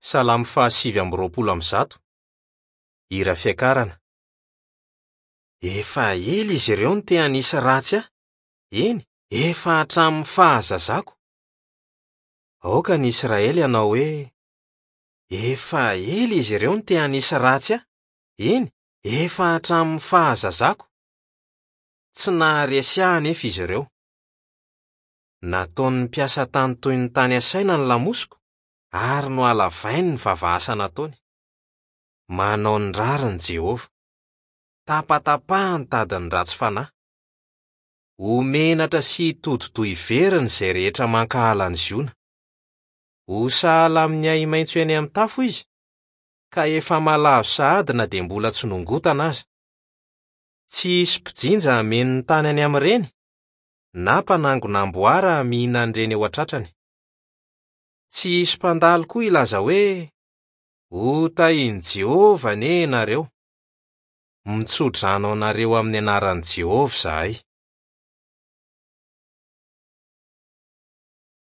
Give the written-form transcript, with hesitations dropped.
Salamo faha129, hira fiakarana. Efa ela izy ireo no te hanisy ratsy ahy, eny, efa hatramin'ny fahazazako. Aoka ny Israely hanao hoe, Efa ela izy ireo no te hanisy ratsy ahy, eny, efa hatramin'ny fahazazako. Tsy naharesy ahy anefa izy ireo. Nataon'ny mpiasa tany toy ny tany asaina ny lamosiko ary nohalavainy ny vava-asa nataony. Manao ny rariny Jehovah. Tapatapahany ny tadin'ny ratsy fanahy. Ho menatra sy hitodi-doha hiverina izay rehetra mankahala an'i Ziona. Ho sahala amin'ny ahi-maitso eny amin'ny tafo izy, ka efa malazo sahady na dia mbola tsy nongotana aza. Tsy hisy mpijinja hameno ny tany any amin'ireny, na mpanangona amboara hamihina an'ireny eo an-tratrany. Tsy hisy mpandalo koa hilaza hoe, Hotahin'i Jehovah anie ianareo! Mitso-drano anareo amin'ny anaran'i Jehovah izahay.